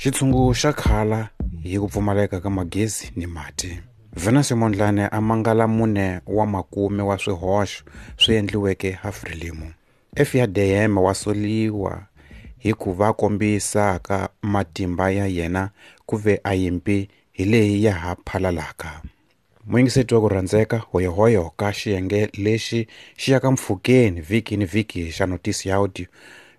Xitshungu xa khala hi ku pfumaleka ka magezi ni mati. Venancio Mondlane a mangala 4 wa makume wa swihoxo swi endliweke ha Frelimo. FADM wa soliwa hi ku va kombisaka matimba ya yena ku ve a yimpi hi leyi ya ha phalalaka. Muyingiseti wa ku rhandzeka hoyohoyo ka xiyenge lexi xi yaka mpfhukeni vhiki ni vhiki xa notisi ya audio.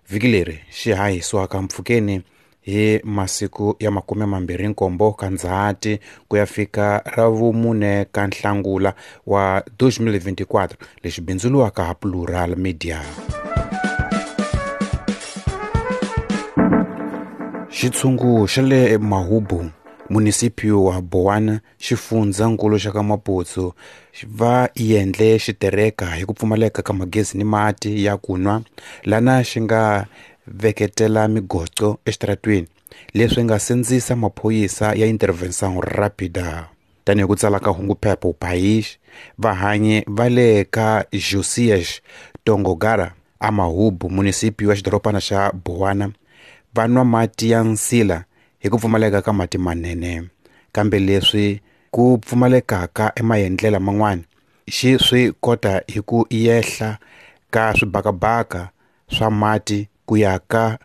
Vhiki leri xi hahisiwaka mpfhukeni hi masiku ya 27 ka Ndzhati ku ya fika ra vu-4 ka Nhlangula wa 2024 lexi bindzuriwaka ha Plural Media. Xitshungu xa le Mahubu, munisipio wa Bowana, xifundzankulu xa ka Maputo, va endle xitereka hi ku pfumaleka ka magezi ni mati ya ku nwa, lana xi nga veketela migoco exitaratweni, leswi nga sindzisa maphorisa ya Intervenção Rápida. Tanihi ku tsala ka hunguphepha O País, vahanyi va le ka Josias Tongogara a Mahubu, munisipio wa xidorobana xa Bowana, va nwa mati ya nsila hi ku pfumaleka ka mati manene. Kambe leswi ku pfumalekaka emaendlela man'wana, xi swi kota hi ku yehla ka swibakabaka swa mati ku ya ka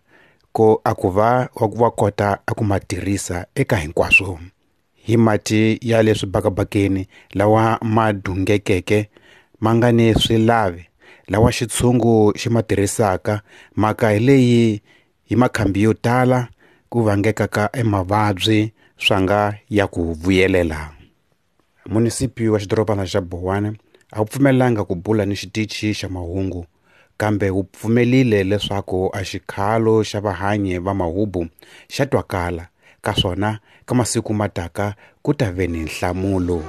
ko a ku va wa kota a ku ma tirhisa eka hinkwaswo. Hi mati ya le swibakabakeni lawa ma dungekeke ma nga ni swilavi lawa xitshungu xi ma tirhisaka, mhaka hi leyi hi makhambi yo tala ku vangekaka emavabyi swa nga ya ku vuyelela. Munisipi wa xidorobana xa Bowana a wu pfumelanga ku bula ni xitichi xa mahungu, kambe wu pfumelile leswaku a xikhalo xa vahanyi va Mahubu xa twakala, ka swona ka masiku mataka ku ta ve ni nhlamulo.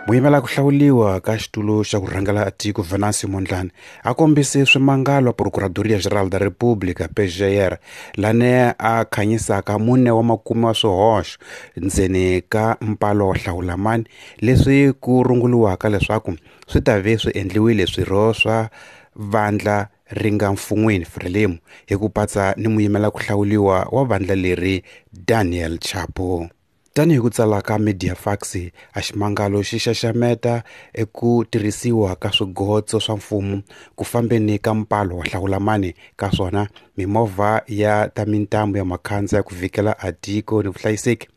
Muyimela ku hlawuliwa ka xitulu xa ku rhangela tiko Venancio Mondlane a kombise swimangalo Procuradoria Geral da República PGR lane a khanyisaka 4 wa makume wa swihoxo ndzeni ka mpalo wa hlawulamani leswi ku runguriwaka leswaku swi ta ve swi endliwile swirho swa vandla ri nga mfun'wini Frelimo hi ku patsa ni muyimela ku hlawuliwa wa vandla leri Daniel Chapo. Tanihi ku tsala ka Mediafax, a ximangalo xi xaxameta eku tirhisiwa ka swigotso swa mfumo ku fambeni ka mpalo wa hlawulamani ka swona mimovha ya ta mintambu ya makhandza ya ku vikela atiko ni vuhlayiseki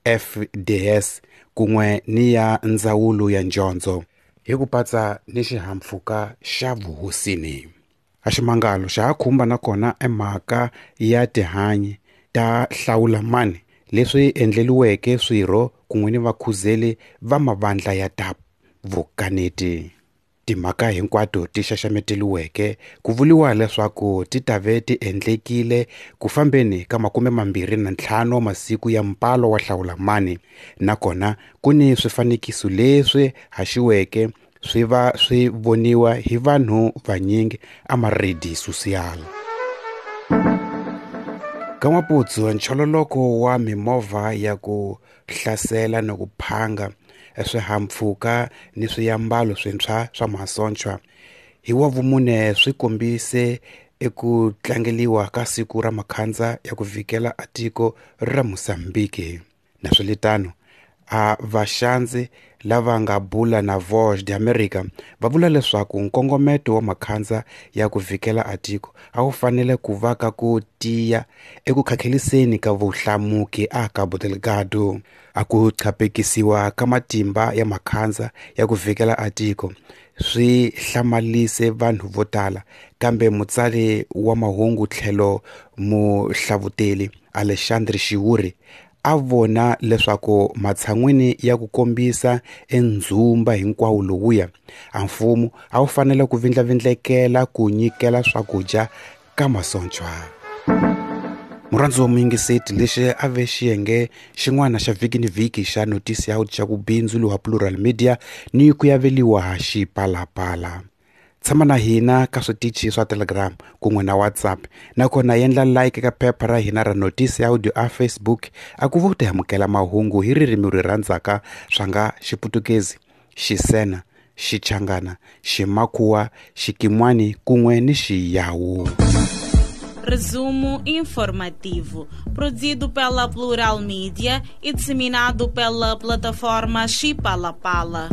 FDS kun'we ni ya ndzawulo ya njondzo hi ku patsa ni xihahampfhuka xa vuhosini. A ximangalo xa ha khumba nakona emhaka ya tihanyi ta hlawulamani leswi endleliweke swirho kun'we ni vakhuzeli va mavandla ya ta vukaneti. Timhaka hinkwato ti xaxameteliweke ku vuriwa leswaku ti ta ve ti endlekile ku fambeni ka 25 masiku ya mpalo wa hlawulamani, nakona ku ni swifanekiso leswi haxiweke swi va swi voniwa hi vanhu vanyingi a maredi social. Ka Maputsu, nchololoko wa mimovha ya ku hlasela ni ku phanga swihahampfhuka ni swiambalo swintshwa swa masocha hi wa vumune swi kombise eku tlangeliwa ka siku ra makhandza ya ku vikela atiko ra Mozambique. Naswelitano, a vaxandzi lava nga bula na Voz de America va vula leswaku nkongometo wa makhandza ya ku vikela atiko a wu fanele ku va ka ku tiya eku khakheliseni ka vuhlamuki a Cabo Delgado. A ku chapekisiwa ka matimba ya makhandza ya ku vikela atiko swi hlamalise vanhu vo tala, kambe mutsari wa mahungu tlhelo muhlavuteli Alexandre Xiwuri a vona leswaku matshan'wini ya ku kombisa endzhumba hinkwawo lowuya, a mfumo a wu fanele ku vindlavindlekela ku nyikela swakudya ka masocha. Murhandzi wa muyingiseti, lexi a ve xiyenge xin'wana xa vhiki ni vhiki xa notisi ya xa ku bindzu wa Plural Media ni ku yaveliwa ha xipalapala. Tshama na hina ka switichi swa Telegram kun'we na WhatsApp, nakona endla like ka phepha ra hina ra notisi ya audio a Facebook a ku va u ta amukela mahungu hi ririmi ri rhandzaka swa nga Xiputukezi, Xisena, Xichangana, Ximakhuwa, Xikimwani kun'we ni Xiyawu. Resumo informativo, produzido pela Plural Mídia e disseminado pela plataforma Chipalapala.